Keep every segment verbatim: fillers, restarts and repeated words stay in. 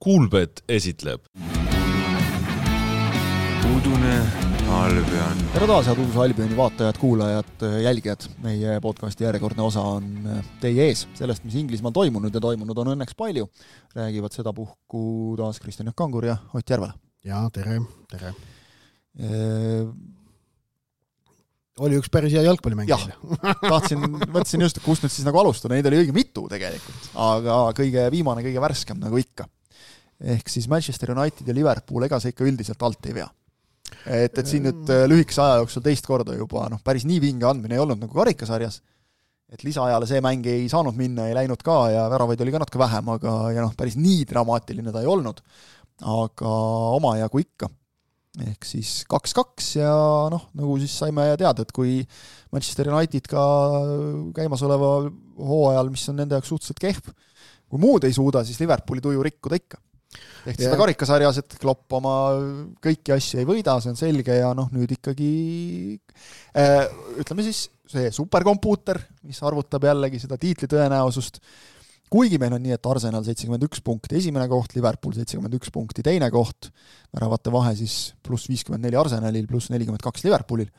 Kuulbet esitleb Udune Albion. Tere taas, head Uduse Albioni vaatajad, kuulajad, jälgijad. Meie podcasti järjekordne osa on teie ees. Sellest, mis Inglismaal toimunud ja toimunud on õnneks palju, räägivad seda puhku taas Kristjan Kangur ja Ott Järvela. Ja, tere, tere. E... Oli üks päris hea jalgpallimäng. Jah, tahtsin, mõtlesin just, kust nüüd siis nagu alustada. Neid oli õige mitu tegelikult, aga kõige viimane, kõige värskem nagu ikka. Ehk siis Manchester United ja Liverpool, ega see ikka üldiselt alt ei vea. Et, et siin nüüd lühikese aja jooksul teist korda juba noh, päris nii vinge andmine ei olnud nagu karikasarjas. Et lisaajale see mäng ei saanud minna, ei läinud ka ja väravaid oli ka natuke vähem, aga ja noh, päris nii dramaatiline ta ei olnud. Aga oma jagu ikka. Ehk siis kaks kaks ja noh, nagu siis saime teada, et kui Manchester United ka käimasoleva hooajal, mis on nende jaoks suhteliselt kehv, kui muud ei suuda, siis Liverpooli tuju rikkuda ikka. Ehk seda karikasarjas, et Klopp oma kõiki asju ei võida, see on selge ja noh, nüüd ikkagi äh, ütleme siis see superkompuuter, mis arvutab jällegi seda tiitli tõenäosust. Kuigi meil on nii, et Arsenal seitsekümmend üks punkti esimene koht, Liverpool seitsekümmend üks punkti teine koht, väravate vahe siis pluss viiskümmend neli Arsenalil, pluss nelikümmend kaks Liverpoolil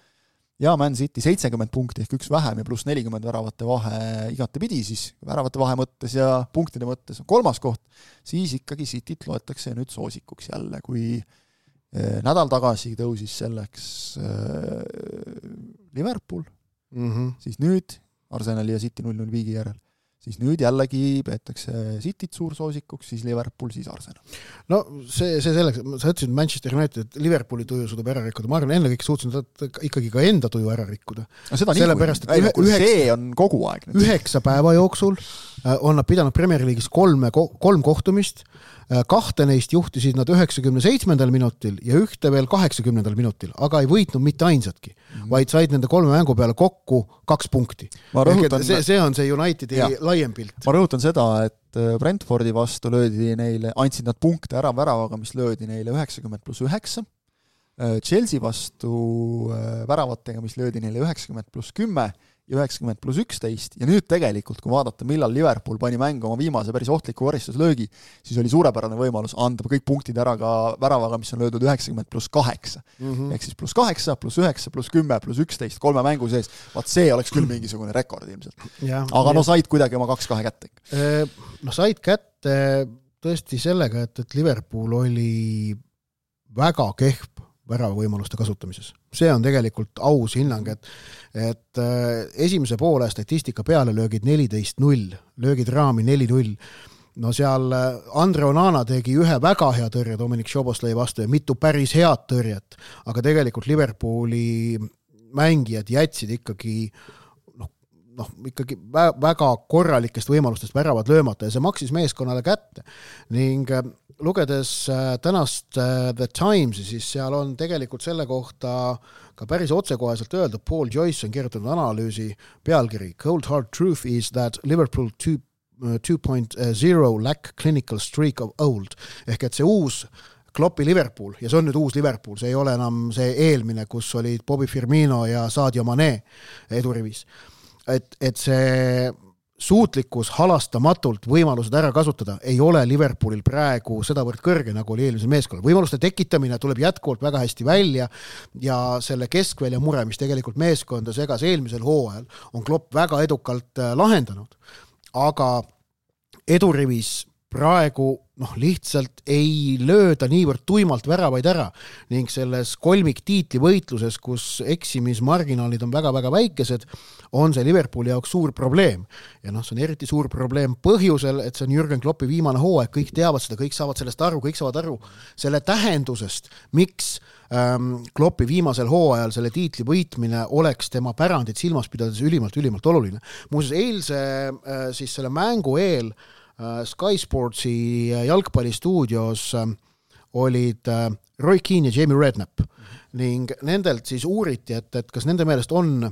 ja Man City seitsekümmend punkti ehk üks vähem ja pluss nelikümmend väravate vahe igate pidi siis väravate vahe mõttes ja punktide mõttes on kolmas koht, siis ikkagi Cityt loetakse nüüd soosikuks jälle, kui eh, nädal tagasi tõusis selleks eh, Liverpool, mm-hmm. siis nüüd Arsenali ja City null null viigi järel. Siis nüüd jällegi peetakse Cityt suursoosikuks, siis Liverpool, siis Arsenal. No see, see selleks, sa ütlesid Manchester United, et Liverpooli tuju suudab ära rikkuda. Ma arvan, enne kõik suutsid ikkagi ka enda tuju ära rikkuda. No seda nii, kui ühe, üheksa, see on kogu aeg. Nüüd. Üheksa päeva jooksul on nad pidanud Premier League'is kolme, kolm kohtumist, kahte neist juhtisid nad üheksakümne seitsmendal minutil ja ühte veel kaheksakümnendal minutil, aga ei võitnud mitte ainsatki, mm-hmm. vaid said nende kolme mängu peale kokku kaks punkti. Rõhutan, see, see on see Unitedi ja. laiem pilt. Ma rõhutan seda, et Brentfordi vastu löödi neile, andsid nad punkte ära väravaga, mis löödi neile üheksakümmend pluss üheksa. Chelsea vastu väravatega, mis löödi neile üheksakümmend pluss kümme ja üheksakümmend pluss üksteist ja nüüd tegelikult, kui vaadata, millal Liverpool pani mängu oma viimase päris ohtliku koristuslöögi, siis oli suurepärane võimalus anda kõik punktid ära ka väravaga, mis on löödud üheksakümmend pluss kaheksa. Mm-hmm. Ehk siis pluss kaheksa, pluss üheksa, pluss kümme, pluss üksteist, kolme mängu sees. Vaat see oleks küll mingisugune rekord ilmselt. Ja, aga ja. no said kuidagi oma kaks kahe kätte. No said kätte tõesti sellega, et, et Liverpool oli väga kehv värava võimaluste kasutamises. See on tegelikult aus hinnang, et, et esimese poole statistika peale löögid neliteist null, löögid raami neli null. No seal Andre Onana tegi ühe väga hea tõrje Dominic Szoboszlai vastu ja mitu päris head tõrjet, aga tegelikult Liverpooli mängijad jätsid ikkagi noh, noh, ikkagi väga korralikest võimalustest väravad löömata ja see maksis meeskonnale kätte ning lugedes tänast The Timesi, siis seal on tegelikult selle kohta ka päris otsekoheselt öelda, Paul Joyce on kirjutanud analüüsi pealkiri Cold hard truth is that Liverpool two point oh lack clinical streak of old. Ehk et see uus Kloppi Liverpool, ja see on nüüd uus Liverpool, see ei ole enam see eelmine, kus olid Bobby Firmino ja Sadio Mane edurivis. Et, et see suutlikkus halastamatult võimalused ära kasutada ei ole Liverpoolil praegu sedavõrd kõrge, nagu oli eelmisel meeskonnal. Võimaluste tekitamine tuleb jätkuvalt väga hästi välja ja selle keskvälja mure, mis tegelikult meeskonda segas eelmisel hooajal, on Klopp väga edukalt lahendanud. Aga edurivis praegu noh, lihtsalt ei lööda niivõrd tuimalt väravaid ära ning selles kolmik tiitli võitluses, kus eksimismarginaalid on väga-väga väikesed, on see Liverpooli jaoks suur probleem. Ja noh, see on eriti suur probleem põhjusel, et see on Jürgen Kloppi viimane hooaeg, kõik teavad seda, kõik saavad sellest aru, kõik saavad aru selle tähendusest, miks ähm, Kloppi viimasel hooajal selle tiitli võitmine oleks tema pärandit silmas pidades ülimalt, ülimalt oluline. Muuseas, eilse äh, siis selle mängu eel Sky Sportsi jalgpallistuudios olid Roy Keane ja Jamie Redknapp ning nendelt siis uuriti, et, et kas nende meelest on,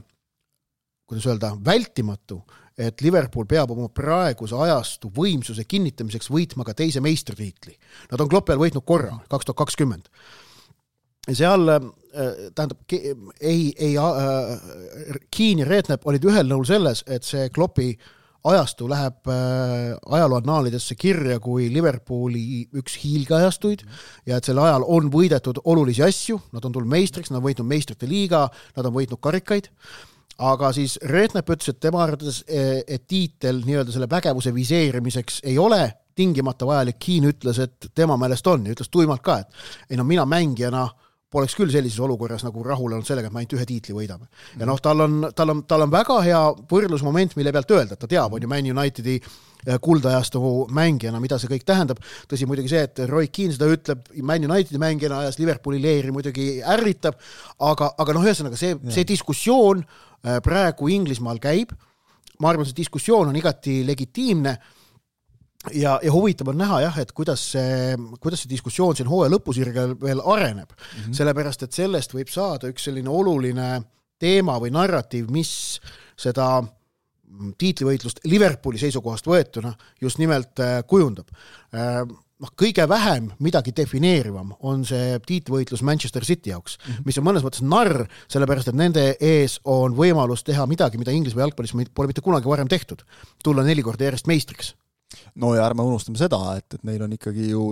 kuidas öelda, vältimatu, et Liverpool peab oma praeguse ajastu võimsuse kinnitamiseks võitma ka teise meistritiitli. Nad on Kloppi ajal võitnud korra, kaks tuhat kakskümmend. Ja seal, tähendab, ei, ei, Keane ja Redknapp olid ühel nõul selles, et see Kloppi ajastu läheb ajalooannaalidesse kirja kui Liverpooli üks hiilgeajastuid ja et selle ajal on võidetud olulisi asju, nad on tulnud meistriks, nad on võitnud meistrite liiga, nad on võitnud karikaid, aga siis Redknapp ütles, et tema arvates, et tiitel nii-öelda selle pägevuse viseerimiseks ei ole tingimata vajalik. Keane ütles, et tema meelest on ja ütles tuimalt ka, et ei no mina mängijana poleks küll sellises olukorras nagu rahul olnud sellega, et ma ainult ühe tiitli võidame. Ja noh, tal on, tal on, tal on väga hea võrdlusmoment, mille pealt öelda, et ta teab, on ju Man Unitedi kuldajastu mängijana, mida see kõik tähendab. Tõsi muidugi see, et Roy Keane seda ütleb Man Unitedi mängijana ajas Liverpooli leeri muidugi ärritab, aga, aga noh, ühesõnaga see, see diskussioon praegu Inglismaal käib. Ma arvan, see diskussioon on igati legitiimne ja, ja huvitav on näha jah, et kuidas see, kuidas see diskussioon siin hooaja lõpusirgel veel areneb. Mm-hmm. Sellepärast, et sellest võib saada üks selline oluline teema või narratiiv, mis seda tiitlivõitlust Liverpooli seisukohast võetuna just nimelt kujundab. No, kõige vähem midagi defineerivam on see tiitlivõitlus Manchester City jaoks, mm-hmm. mis on mõnes mõttes narr, sellepärast et nende ees on võimalus teha midagi, mida Inglismaa jalgpallis pole mitte kunagi varem tehtud. Tulla neli korda järjest meistriks. No ja ärme unustame seda, et, et neil on ikkagi ju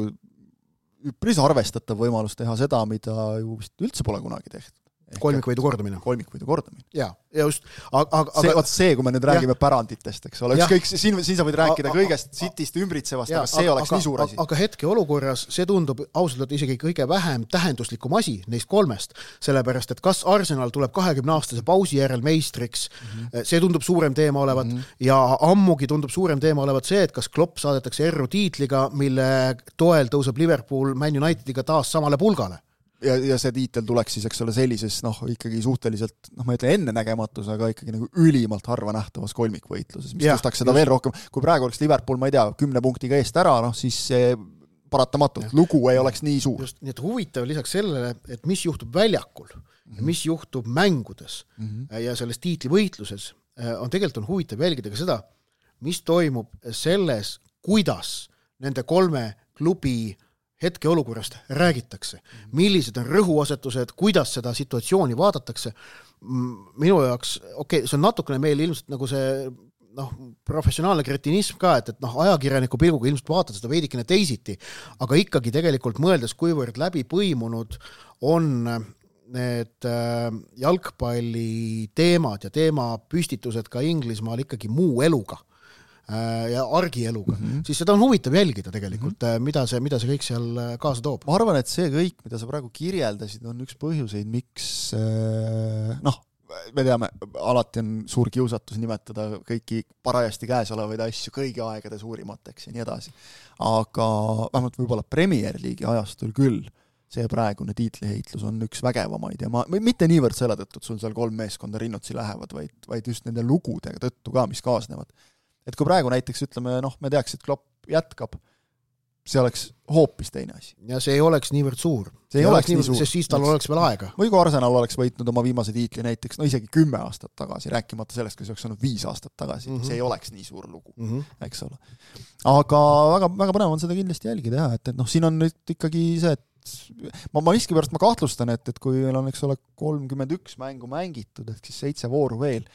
üpris arvestatav võimalus teha seda, mida ju vist üldse pole kunagi tehtud. Kolmikvõidu kordamine. Kolmikvõidu kordamine. Ja, ja just. Aga, aga, see, see, kui me nüüd räägime ja, päranditest, eks ole, ükskõik, siin, siin sa võid rääkida a, kõigest a, Cityst ümbritsevast, aga see a, oleks aga, nii suur asi. Aga hetke olukorras see tundub ausalt isegi kõige vähem tähenduslikum asi neist kolmest, sellepärast, et kas Arsenal tuleb kahekümne aastase pausi järel meistriks, mm-hmm. see tundub suurem teema olevat mm-hmm. ja ammugi tundub suurem teema olevat see, et kas Klopp saadetakse erru tiitliga, mille toel tõuseb Liverpool Man Unitediga taas samale pulgale. Ja, ja see tiitel tuleks siis, eks ole, sellises, noh, ikkagi suhteliselt, noh, ma ütlen enne nägematus, aga ikkagi nagu ülimalt harva nähtavas kolmikvõitluses, mis ja, tõstaks seda just. Veel rohkem. Kui praegu oleks Liverpool, ma ei tea, kümne punktiga eest ära, noh, siis see paratamatult, ja. Lugu ei oleks nii suur. Just, nii et huvitav lisaks sellele, et mis juhtub väljakul, mm-hmm. mis juhtub mängudes mm-hmm. ja selles tiitlivõitluses, on tegelikult on huvitav jälgida ka seda, mis toimub selles, kuidas nende kolme klubi hetke olukorrast räägitakse, millised on rõhuasetused, kuidas seda situatsiooni vaadatakse. Minu jaoks, okei, okay, see on natukene meil ilmselt nagu see noh, professionaalne kretinism ka, et, et noh, ajakirjaniku pilguga ilmselt vaatad seda veidikene teisiti, aga ikkagi tegelikult mõeldes, kuivõrd läbi põimunud on need jalgpalli teemad ja teema püstitused ka Inglismaal ikkagi muu eluga ja argieluga, mm-hmm. siis seda on huvitav jälgida tegelikult, mm-hmm. mida see, mida see kõik seal kaasa toob. Ma arvan, et see kõik, mida sa praegu kirjeldasid, on üks põhjuseid, miks noh, me teame, alati on suur kiusatus nimetada kõiki parajasti käes olevaid asju kõigi aegade suurimateks ja nii edasi. Aga vähemalt võib-olla Premier League'i ajastul küll see praegune tiitliheitlus on üks vägevamaid ja ma, mitte niivõrd selle tõttu, et sul seal kolm meeskonda rinnutsi lähevad, vaid, vaid just nende lugudega tõttu ka, mis kaasnevad. Et kui praegu näiteks ütleme, noh, me teaks, et Klopp jätkab, see oleks hoopis teine asi. Ja see ei oleks niivõrd suur. See ei oleks nii suur. Sest siis tal oleks veel aega. Või kui Arsenal oleks võitnud oma viimase tiitli näiteks, no isegi kümme aastat tagasi, rääkimata sellest, kui see oleks olnud viis aastat tagasi, mm-hmm. see ei oleks nii suur lugu, mm-hmm. eks ole. Aga väga, väga põnev on seda kindlasti jälgida, jah, et, et noh, siin on nüüd ikkagi see, et ma, ma miski pärast ma kahtlustan, et, et kui meil on, eks ole, kolmkümmend üks mängu mängitud, et siis seitse vooru veel,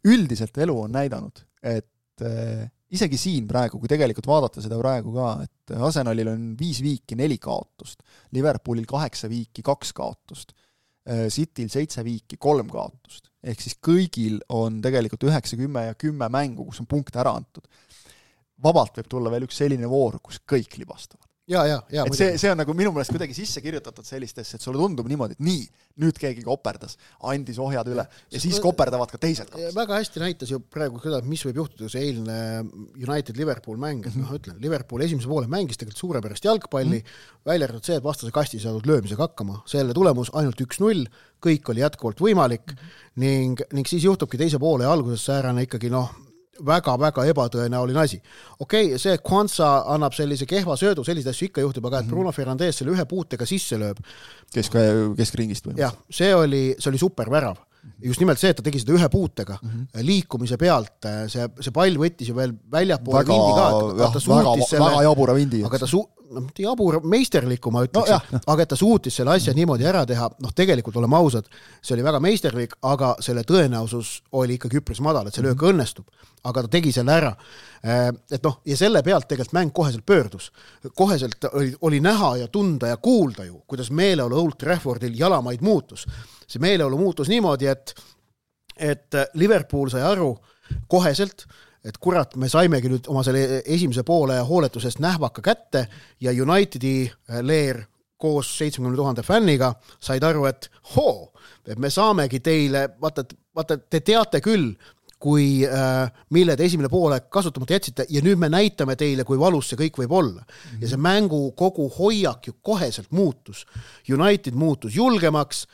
üldiselt elu on näidanud, et isegi siin praegu, kui tegelikult vaadata seda praegu ka, et Arsenalil on viis viiki neli kaotust, Liverpoolil kaheksa viiki kaks kaotust, Cityl seitse viiki kolm kaotust, ehk siis kõigil on tegelikult üheksa, kümme ja kümme mängu, kus on punkte ära antud. Vabalt võib tulla veel üks selline voor, kus kõik libastavad. Ja, ja, ja, et see, see on nagu minu meelest kuidagi sisse kirjutatud sellistesse, et sulle tundub niimoodi, et nii, nüüd keegi koperdas, andis ohjad üle ja siis koperdavad ka teised kaks. Väga hästi näitas ju praegu seda, mis võib juhtuda see eilne United-Liverpool mäng, et noh, ütlen, Liverpool esimese poole mängis tegelikult suurepärast jalgpalli, mm. välja arvatud see, et vastase kasti saadud löömisega hakkama, selle tulemus ainult üks null, kõik oli jätkuvalt võimalik mm. ning, ning siis juhtubki teise poole ja alguses säärane ikkagi noh, väga-väga ebatõenäoline asi. Okei, okay, see Kwanza annab sellise kehva söödu, sellised asju ikka juhtub, aga et Bruno Fernandes selle ühe puutega sisse lööb. Kesk, keskringist või? Jah, see oli, see oli super värav. Just nimelt see, et ta tegi seda ühe puutega mm-hmm. liikumise pealt, see, see pall võttis ju veel väljapoole väga, vindi ka, aga ta suutis väga, selle, väga jabura vindi. Aga ta su- noh, jabur meisterliku ma ütleks, no, aga et ta suutis selle asja niimoodi ära teha, noh tegelikult oleme ausad, see oli väga meisterlik, aga selle tõenäosus oli ikkagi üpris madal, et see löök õnnestub, aga ta tegi selle ära. Et noh, ja selle pealt tegelikult mäng koheselt pöördus. Koheselt oli, oli näha ja tunda ja kuulda ju, kuidas meeleolu Old Traffordil jalamaid muutus. See meeleolu muutus niimoodi, et, et Liverpool sai aru koheselt, et kurat, me saimegi nüüd oma selle esimese poole hooletusest nähvaka kätte ja Unitedi leer koos seitsekümmend tuhande fänniga said aru, et hoo, et me saamegi teile, vaata, vaata, te teate küll, kui äh, mille te esimene poole kasutamata jätsite ja nüüd me näitame teile, kui valus see kõik võib olla. Mm-hmm. Ja see mängu kogu hoiak ju koheselt muutus. United muutus julgemaks.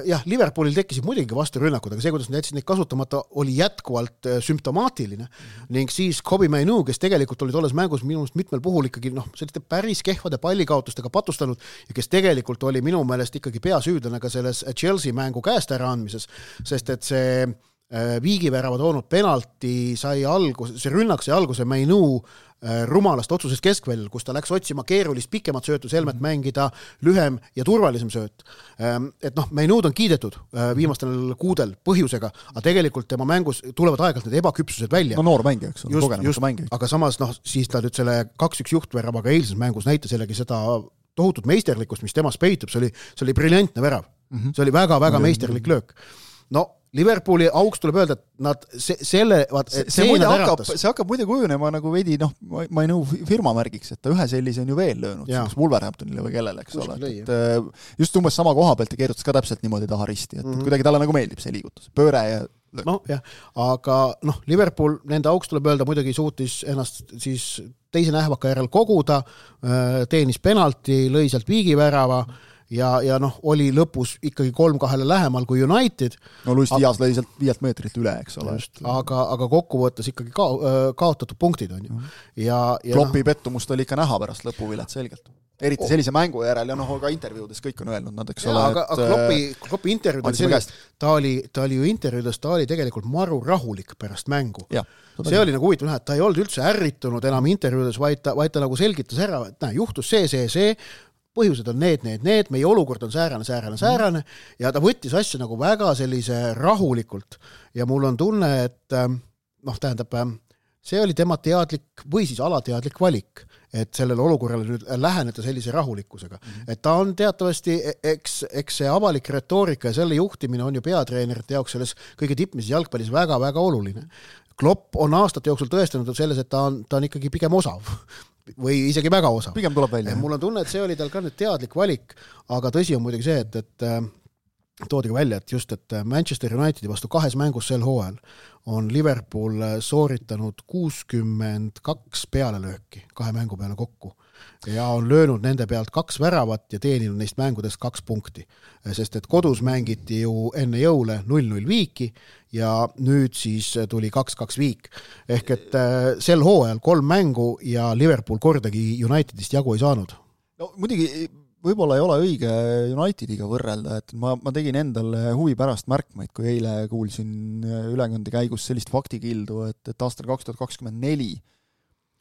Jah, Liverpoolil tekkisid muidugi vasturünnakud, aga see, kuidas nad jätsid neid kasutamata, oli jätkuvalt sümptomaatiline. Mm-hmm. Ning siis Kobe Mainu, kes tegelikult oli tolles mängus minu meelest mitmel puhul ikkagi noh, selliste päris kehvade pallikaotustega patustanud ja kes tegelikult oli minu meelest ikkagi peasüüdlane ka selles Chelsea mängu käest ära andmises, sest et see viigivärava toonud penalti sai algus, see rünnak sai alguse Mainu rumalast otsusest keskväljal, kus ta läks otsima keerulist pikemat söötu, selmet mängida lühem ja turvalisem sööt. Et noh, Mainud on kiidetud viimastel kuudel põhjusega, aga tegelikult tema mängus tulevad aegalt need ebaküpsused välja. No noor mängija, eks ole, kogenemata mängija. Aga samas noh, siis ta nüüd selle kaks üks juhtväravaga eilses mängus näitas jällegi seda tohutut meisterlikkust, mis temas peitub, see oli, see oli briljantne värav. Mm-hmm. See oli väga-väga meisterlik löök. No Liverpooli auks tuleb öelda, et nad se, selle vaat, see, see, muide hakkab, see hakkab muide kujunema nagu veidi, noh, ma ei nõu firma märgiks, et ta ühe sellise on ju veel löönud, Wolverhamptonile või kellele, eks ole. Et, just umbes sama koha pealt ja keerutas ka täpselt niimoodi taha risti, et mm-hmm. kuidagi talle nagu meeldib see liigutus, pööre ja löök. No, jah, aga noh, Liverpool nende auks tuleb öelda muidugi suutis ennast siis teise nähvaka järel koguda, teenis penalti, lõi sealt viigivärava ja, ja noh, oli lõpus ikkagi kolm kahele lähemal kui United. No Luis Diaz lõi sealt viielt meetrit üle, eks ole. Aga, aga kokkuvõttes ikkagi ka, kaotatud punktid on ju. Ja, ja Kloppi no, pettumust oli ikka näha pärast lõpuvilet selgelt. Eriti oh. sellise mängu järel ja noh, ka intervjuudes kõik on öelnud nad, eks ja, ole. Aga, et, aga Kloppi, Kloppi intervjuudes sellest, ta oli, ta oli ju intervjuudes, ta oli tegelikult maru rahulik pärast mängu. Ja, see oli nagu huvitav näha, et ta ei olnud üldse ärritunud enam intervjuudes, vaid ta, vaid ta nagu selgitas ära, et näe, juhtus see, see, see, põhjused on need, need, need, meie olukord on säärane, säärane, säärane ja ta võttis asja nagu väga sellise rahulikult ja mul on tunne, et noh, tähendab, see oli tema teadlik või siis alateadlik valik, et sellele olukorrale nüüd läheneda sellise rahulikkusega. Mm-hmm. Et ta on teatavasti, eks, eks see avalik retoorika ja selle juhtimine on ju peatreenerite jaoks selles kõige tippmises jalgpallis väga-väga oluline. Klopp on aastate jooksul tõestanud selles, et ta on, ta on ikkagi pigem osav või isegi väga osav. Pigem tuleb välja. Mul on tunne, et see oli tal ka nüüd teadlik valik, aga tõsi on muidugi see, et, et toodi ka välja, et just, et Manchester Unitedi vastu kahes mängus sel hooajal on Liverpool sooritanud kuuskümmend kaks pealelööki kahe mängu peale kokku ja on löönud nende pealt kaks väravat ja teeninud neist mängudest kaks punkti. Sest et kodus mängiti ju enne jõule null null viiki ja nüüd siis tuli kaks kaks viik. Ehk et sel hooajal kolm mängu ja Liverpool kordagi Unitedist jagu ei saanud. No muidugi võib-olla ei ole õige Unitediga võrrelda, et ma, ma tegin endale huvi pärast märkmeid, kui eile kuulsin ülekande käigus sellist faktikildu, et, et aastal kaks tuhat kakskümmend neli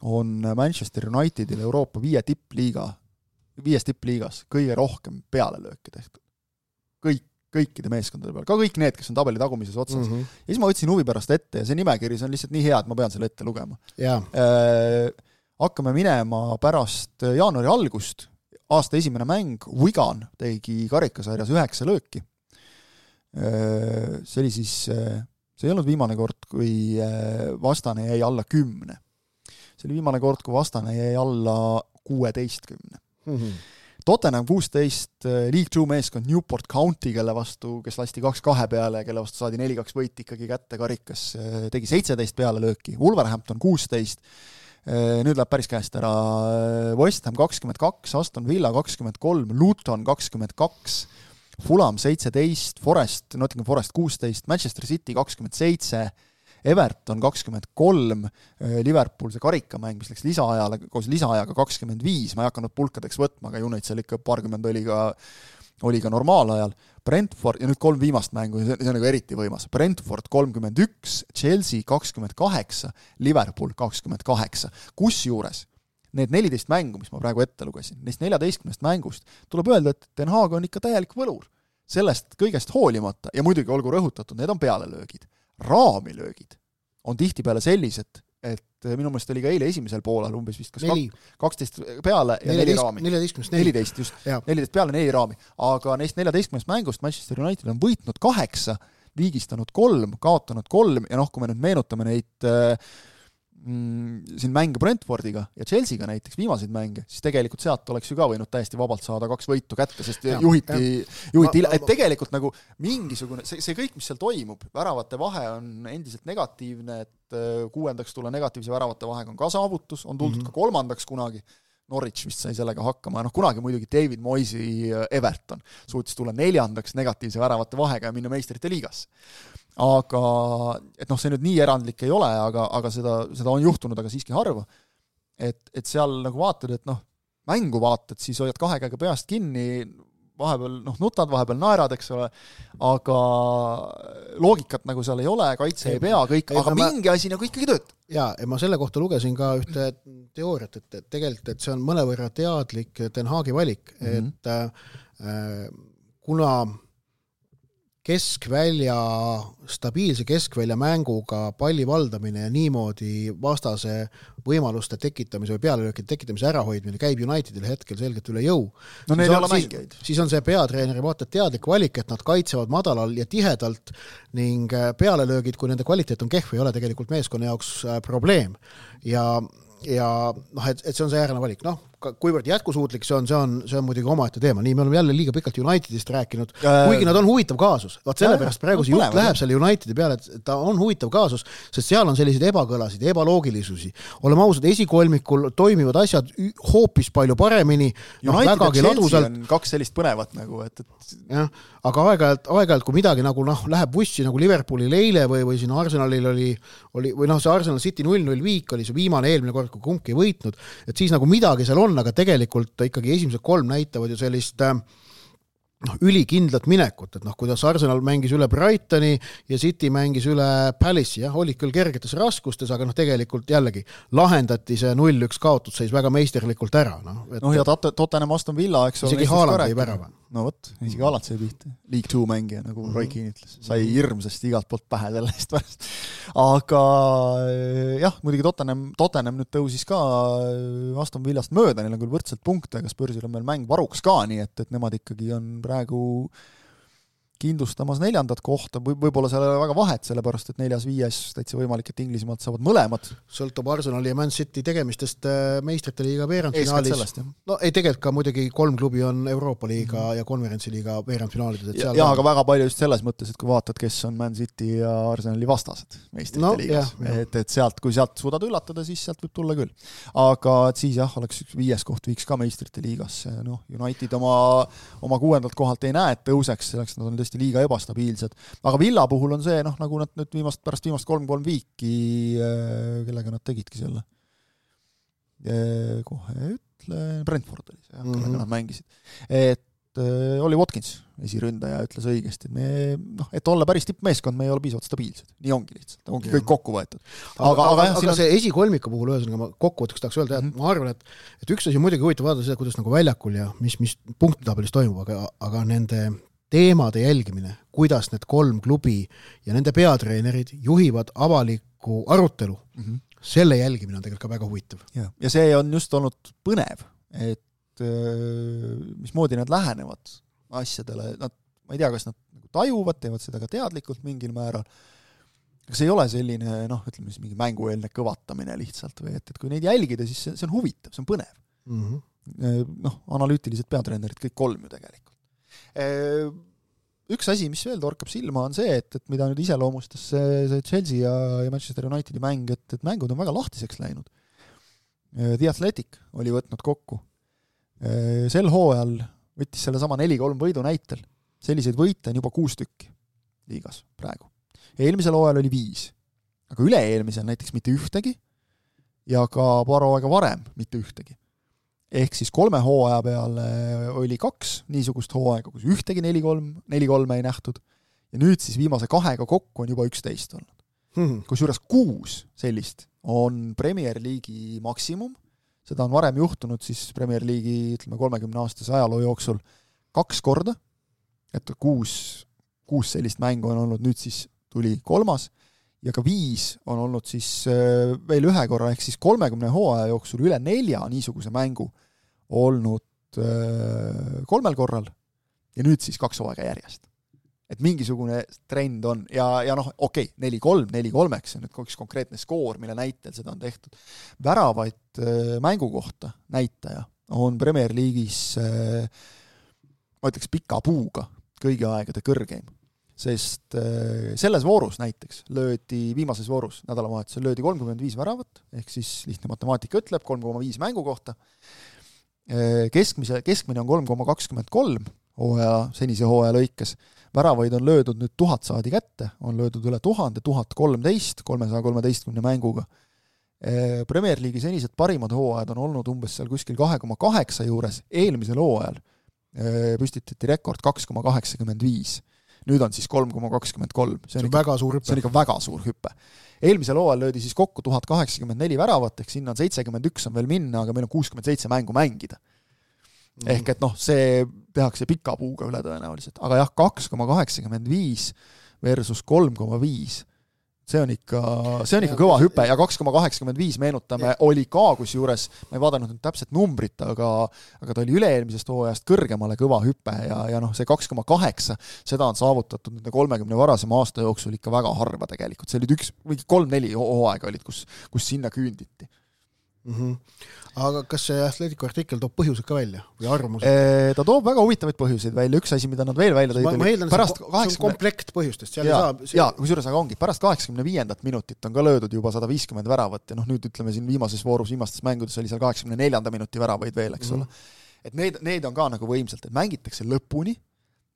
on Manchester Unitedil Euroopa viie tippliiga, viies tippliigas kõige rohkem pealelööki tehtud. Kõik, kõikide meeskondade peal, ka kõik need, kes on tabeli tagumises otsas. Mm-hmm. Ja siis ma võtsin huvi pärast ette ja see nimekiri on lihtsalt nii hea, et ma pean selle ette lugema. Yeah. Äh, hakkame minema pärast jaanuari algust. Aasta esimene mäng, Wigan tegi karikasarjas üheksa lööki. See oli siis, see ei olnud viimane kord, kui vastane jäi alla kümne. See oli viimane kord, kui vastane jäi alla kuueteistkümne. Mm-hmm. Tottenham kuusteist, League two meeskond Newport County, kelle vastu, kes lasti kaks kahe peale, kelle vastu saadi neli kaks võit ikkagi kätte karikas, tegi seitseteist peale lööki. Wolverhampton kuusteist, nüüd läheb päris käest ära West Ham kakskümmend kaks, Aston Villa kakskümmend kolm, Luton kakskümmend kaks, Fulham seitseteist, Forest, Nottingham Forest kuusteist, Manchester City kakskümmend seitse, Everton kakskümmend kolm, Liverpool see karikamäng, mis läks lisaajale, koos lisaajaga kakskümmend viis, ma ei hakanud pulkadeks võtma, aga United seal ikka paarkümmend oli ka, oli ka normaalajal. Brentford, ja nüüd kolm viimast mängu, see on nagu eriti võimas. Brentford kolmkümmend üks, Chelsea kakskümmend kaheksa, Liverpool kakskümmend kaheksa. Kus juures need neliteist mängu, mis ma praegu ette lugesin, neist neljateistkümnest mängust, tuleb öelda, et Ten Hag on ikka täielik võlur. Sellest kõigest hoolimata, ja muidugi olgu rõhutatud, need on pealelöögid. Raamilöögid on tihtipeale sellised, et minu meelest oli ka eile esimesel poolal umbes vist kas kaksteist peale ja neli raami. neliteist just, neliteist peale neli raami. Aga neist neljateistkümnest mängust Manchester United on võitnud kaheksa, viigistanud kolm, kaotanud kolm ja noh, kui me nüüd meenutame neid mm, siin mänge Brentfordiga ja Chelseaga näiteks, viimaseid mänge, siis tegelikult sealt oleks ju ka võinud täiesti vabalt saada kaks võitu kätte, sest ja, juhiti, juhiti ma, et tegelikult nagu mingisugune, see, see kõik, mis seal toimub, väravate vahe on endiselt negatiivne, et kuuendaks tulla negatiivse väravate vahega on ka saavutus, on tuldud mm-hmm. ka kolmandaks kunagi, Norwich vist sai sellega hakkama, noh kunagi muidugi David Moyesi Everton suutis tulla neljandaks negatiivse väravate vahega ja minna meistrite liigasse. Aga, et noh, see nüüd nii erandlik ei ole, aga, aga seda, seda on juhtunud, aga siiski harva. Et, et seal nagu vaatad, et noh, mängu vaatad, siis hoiad kahe käega peast kinni, vahepeal noh, nutad, vahepeal naerad, eks ole, aga loogikat nagu seal ei ole, kaitse ei pea kõik, ei, aga ma... mingi asi nagu ikkagi töötab. Jaa, ja ma selle kohta lugesin ka ühte teooriat, et, et tegelikult et see on mõnevõrra teadlik Ten Hagi valik, mm-hmm. et äh, kuna keskvälja, stabiilse keskvälja mänguga palli valdamine ja niimoodi vastase võimaluste tekitamise või pealelöökide tekitamise ärahoidmine käib Unitedile hetkel selgelt üle jõu. No neil ei ole mängijaid. Siis on see peatreeneri vaata teadlik valik, et nad kaitsevad madalal ja tihedalt ning pealelöögid, kui nende kvaliteet on kehv, ei ole tegelikult meeskonna jaoks probleem. Ja ja noh, et, et see on see äärane valik. Noh, kuivõrd jätkusuutlik see on, see on, see on muidugi omaette teema. Nii me oleme jälle liiga pikalt Unitedist rääkinud, kuigi nad on huvitav kaasus. Vaat sellepärast praegu see jutt läheb selle Unitedi peale, et ta on huvitav kaasus, sest seal on selliseid ebakõlasid, ebaloogilisusi. Oleme ausad, esikolmikul toimivad asjad hoopis palju paremini. No, vägagi ladusalt. On kaks sellist põnevat nagu, et, et... jah, aga aeg-ajalt, aeg-ajalt, kui midagi nagu noh, läheb bussi nagu Liverpoolil eile või, või siin Arsenalil oli, oli või noh, see Arsenal City null null viik oli see viimane eelmine kord, kui kumbki ei võitnud, et siis nagu midagi seal on, aga tegelikult ikkagi esimesed kolm näitavad ju sellist noh, ülikindlat minekut, et noh, kuidas Arsenal mängis üle Brightoni ja City mängis üle Palace'i, jah, olid küll kergetes raskustes, aga noh, tegelikult jällegi lahendati see null üks kaotusseis väga meisterlikult ära. Noh, et... no ja Tottenham Aston Villa, eks ole. Isegi Haaland ei värava. No võt, isegi Haaland sai pihta. League two mängija, nagu mm-hmm. Roy Keane ütles. Sai hirmsasti igalt poolt pähe selle eest pärast. Aga jah, muidugi Tottenham, Tottenham nüüd tõusis ka Aston Villast mööda, neil on küll võrdselt punkte, aga Spursil on meil mäng varuks ka, nii et, et nemad ikkagi on praegu kindlustamas neljandat kohta, või võib-olla seal ei ole väga vahet, sellepärast, et neljas viies täitsa võimalik, et Inglismaalt saavad mõlemad. Sõltub Arsenali ja Man City tegemistest meistrite liiga veerandfinaalis. No ei, tegelikult ka muidugi kolm klubi on Euroopa liiga mm. ja konverentsi liiga veerandfinaalides. Ja, ja aga väga palju just selles mõttes, et kui vaatad, kes on Man City ja Arsenali vastased meistrite no, liigas. Jah, et, et sealt, kui sealt suudad üllatada, siis sealt võib tulla küll. Aga et siis jah, oleks viies koht viiks ka meistrite liigas. No, United oma, oma kuuendalt kohalt ei näe, et tõuseks, selleks nad on liiga ebastabiilsed. Aga Villa puhul on see, noh, nagu nad nüüd viimast, pärast viimast kolm kolm viiki, kellega nad tegidki selle. Kohe ütle, Brentford oli see, mm-hmm. kellega nad mängisid. Et äh, oli Watkins, esiründaja, ütles õigesti, et me, noh, et olla päris tippmeeskond, me ei ole piisavalt stabiilsed. Nii ongi lihtsalt, ongi kõik kokku võetud. Aga, aga, aga, jah, aga on... see esikolmiku puhul ühesõnaga ma kokkuvõtteks tahaks öelda, et mm-hmm. ma arvan, et, et üks asi muidugi huvitav vaadata seda, kuidas nagu väljakul ja mis, mis punktitabelis toimub, aga, aga nende teemade jälgimine, kuidas need kolm klubi ja nende peatreenerid juhivad avalikku arutelu, mm-hmm. selle jälgimine on tegelikult ka väga huvitav. Ja, ja see on just olnud põnev, et mismoodi nad lähenevad asjadele, nad, ma ei tea, kas nad nagu tajuvad, teevad seda ka teadlikult mingil määral, aga see ei ole selline, noh, ütleme siis mingi mängueelne kõvatamine lihtsalt, või et, et kui neid jälgida, siis see, see on huvitav, see on põnev. Mm-hmm. Noh, analüütilised peatreenerid, kõik kolm ju tegelikult. Üks asi, mis veel torkab silma, on see, et, et mida nüüd iseloomustas see, see Chelsea ja, ja Manchester Unitedi mäng, et, et mängud on väga lahtiseks läinud. The Athletic oli võtnud kokku. Sel hooajal võttis selle sama neli kolm võidu näitel. Selliseid võite on juba kuus tükki liigas praegu. Eelmisel hooajal oli viis. Aga üle-eelmisel näiteks mitte ühtegi ja ka paar aega varem mitte ühtegi. Ehk siis kolme hooaja peale oli kaks niisugust hooaega, kus ühtegi neli kolm, neli kolme ei nähtud. Ja nüüd siis viimase kahega kokku on juba üksteist olnud. Hmm. Kus juures kuus sellist on Premier League'i maksimum. seda on varem juhtunud siis Premier League'i, ütleme, kolmekümne aastase ajaloo jooksul kaks korda, et kuus, kuus sellist mängu on olnud, nüüd siis tuli kolmas, ja ka viis on olnud siis veel ühe korra, ehk siis kolmekümne hooaja jooksul üle nelja niisuguse mängu olnud kolmel korral, ja nüüd siis kaks hooaega järjest. Et mingisugune trend on, ja, ja noh, okei, neli kolm, neli kolmeks, see on nüüd üks konkreetne skoor, mille näitel seda on tehtud. Väravaid mängu kohta näitaja on Premier League'is, ma ütleks, pika puuga kõigi aegade kõrgeim, sest selles voorus näiteks löödi, viimases voorus nädalavahetusel löödi kolmkümmend viis väravat, ehk siis lihtne matemaatika ütleb, kolm koma viis mängu kohta. Keskmise, keskmine on kolm koma kakskümmend kolm hooaja, senise hooaja lõikes. Väravaid on löödud nüüd tuhat saadi kätte, on löödud üle tuhande, tuhat kolmteist, kolmesaja kolmeteistkümne mänguga. Premier League'i senised parimad hooajad on olnud umbes seal kuskil kahe koma kaheksa juures, eelmisel hooajal püstitati rekord kaks koma kaheksakümmend viis. Nüüd on siis kolm koma kakskümmend kolm. See on, see on, ikka, väga suur hüppe. See on ikka väga suur hüppe. Eelmisel hooajal löödi siis kokku tuhat kaheksakümmend neli väravat, ehk sinna on seitsekümmend üks on veel minna, aga meil on kuuskümmend seitse mängu mängida. Mm. Ehk et noh, see tehakse pika puuga üle tõenäoliselt. Aga jah, kaks koma kaheksakümmend viis versus kolm koma viis. See on ikka, see on ikka kõva hüpe, ja kaks koma kaheksakümmend viis meenutame, oli ka kusjuures, ma ei vaadanud nüüd täpselt numbrit, aga, aga ta oli üle-eelmisest hooajast kõrgemale kõva hüpe, ja, ja noh, see kaks koma kaheksa, seda on saavutatud nende kolmekümne varasema aasta jooksul ikka väga harva tegelikult. See olid üks, või kolm-neli hooaega olid, kus, kus sinna küünditi. Mm-hmm. Aga kas see Atletico artikkel toob põhjused ka välja või arvamused? E, ta toob väga huvitavaid põhjuseid välja. Üks asi, mida nad veel välja tõid, ma, ma eeldan, pärast see kaheksakümne... on komplekt põhjustest. Seal ja, ei saa, see... ja kusjuures aga ongi, pärast kaheksakümne viiendat minutit on ka löödud juba sada viiskümmend väravat, ja noh, nüüd ütleme siin viimases voorus, viimastes mängudes oli seal kaheksakümne neljanda minuti väravaid veel, eks ole. Mm-hmm. Et need, need on ka nagu võimsalt, et mängitakse lõpuni,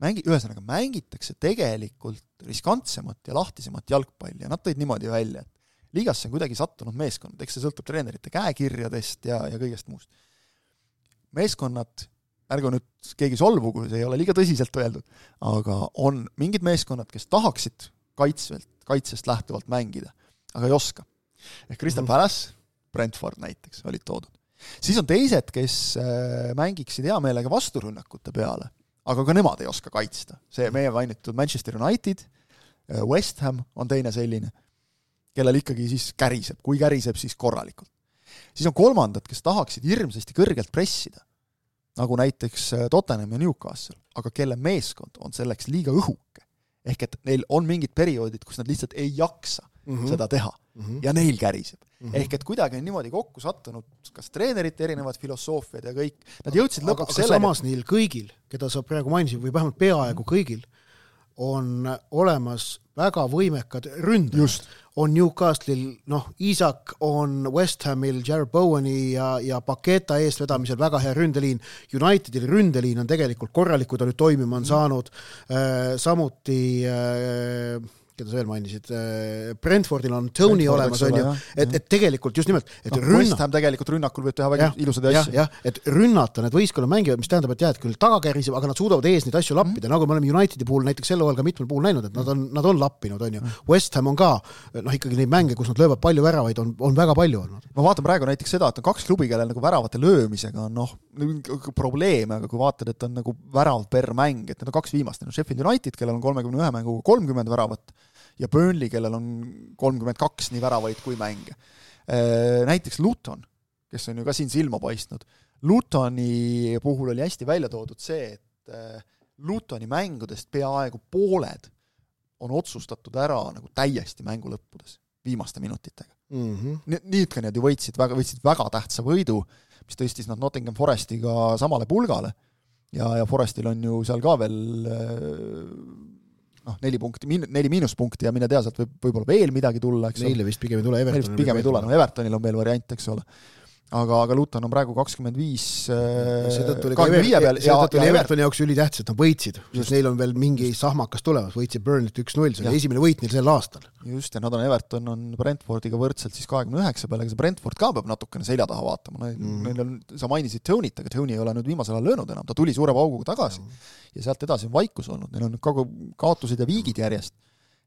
mängi, ühesõnaga mängitakse tegelikult riskantsemat ja lahtisemat jalgpalli, ja nad tõid niimoodi välja, et liigasse on kuidagi sattunud meeskond, eks see sõltub treenerite käekirjadest ja, ja kõigest muust. Meeskonnad, ärgu nüüd keegi solvu, kui see ei ole liiga tõsiselt öeldud, aga on mingid meeskonnad, kes tahaksid kaitsvelt, kaitsest lähtuvalt mängida, aga ei oska. Ehk Crystal Palace, Brentford näiteks olid toodud. Siis on teised, kes mängiksid hea meelega vasturünnakute peale, aga ka nemad ei oska kaitsta. See meie mainitud Manchester United, West Ham on teine selline, kellel ikkagi siis käriseb, kui käriseb, siis korralikult. Siis on kolmandad, kes tahaksid hirmsasti kõrgelt pressida, nagu näiteks Tottenham ja Newcastle, aga kelle meeskond on selleks liiga õhuke. Ehk et neil on mingid perioodid, kus nad lihtsalt ei jaksa mm-hmm. seda teha mm-hmm. ja neil käriseb. Mm-hmm. Ehk et kuidagi on niimoodi kokku sattunud, kas treenerite erinevad filosoofiad ja kõik, nad jõudsid lõpuks sellega. Aga samas neil kõigil, keda sa praegu mainisid, või vähemalt peaaegu kõigil, on olemas väga võimekad ründajad. On Newcastle'il, noh, Isak on West Hamil, Jared Bowani ja, ja Paketa eest vedamisel väga hea ründeliin. Unitedil ründeliin on tegelikult korralik, kui ta nüüd toimima on saanud. Äh, samuti äh, keda sa veel mainisid, Brentfordil on Tony Brentford, olemas, on ju, et, et tegelikult just nimelt, et no, rünna... West Ham tegelikult rünnakul võib teha väga ja, ilusad asju. Jah, et rünnata need võistkonna mängivad, mis tähendab, et jääd küll tagakäriseb, aga nad suudavad ees neid asju lappida, mm. nagu me oleme Unitedi puhul näiteks selle hooajal ka mitmel puhul näinud, et nad on, nad on lappinud, on ju. Mm. West Ham on ka, noh ikkagi neid mänge, kus nad löövad palju väravaid, on, on väga palju olnud. Ma vaatan praegu näiteks seda, et on kaks klubi, kellel nagu väravate löömisega on noh, probleeme, aga kui vaatad, et on nagu värav per mäng, et need on kaks viimast, on Sheffield United, kellel on kolmekümne ühe mänguga kolmkümmend väravat, ja Burnley, kellel on kolmkümmend kaks nii väravaid kui mänge. Näiteks Luton, kes on ju ka siin silma paistnud. Lutoni puhul oli hästi välja toodud see, et Lutoni mängudest peaaegu pooled on otsustatud ära nagu täiesti mängu lõppudes, viimaste minutitega. Mm-hmm. Niidka need ju võitsid väga, võitsid väga tähtsa võidu, mis tõstis nad Nottingham Forestiga samale pulgale ja, ja Forestil on ju seal ka veel noh, neli punkti, neli miinuspunkti ja mine tea, sealt võib võib-olla veel midagi tulla, eks Neile vist pigem ei tule, Evertonil pigem ei tule, no Evertonil on veel variant, eks ole. Aga, aga Luton on praegu kakskümmend viis kahekümne viie peal ja, ja Evertoni jaoks üli tähtsad, nad võitsid, sest neil on veel mingi sahmakas tulemas, võitsid Burnley't üks null, see oli esimene võit neil sel aastal. Just, ja nad on Everton on Brentfordiga võrdselt siis kahekümne üheksa peale, aga see Brentford ka peab natukene selja taha vaatama. Mm. Neil on, sa mainisid Tony't, aga Tony ei ole nüüd viimasel ajal löönud enam, ta tuli suure pauguga tagasi mm. ja sealt edasi on vaikus olnud, neil on kogu kaotused ja viigid järjest.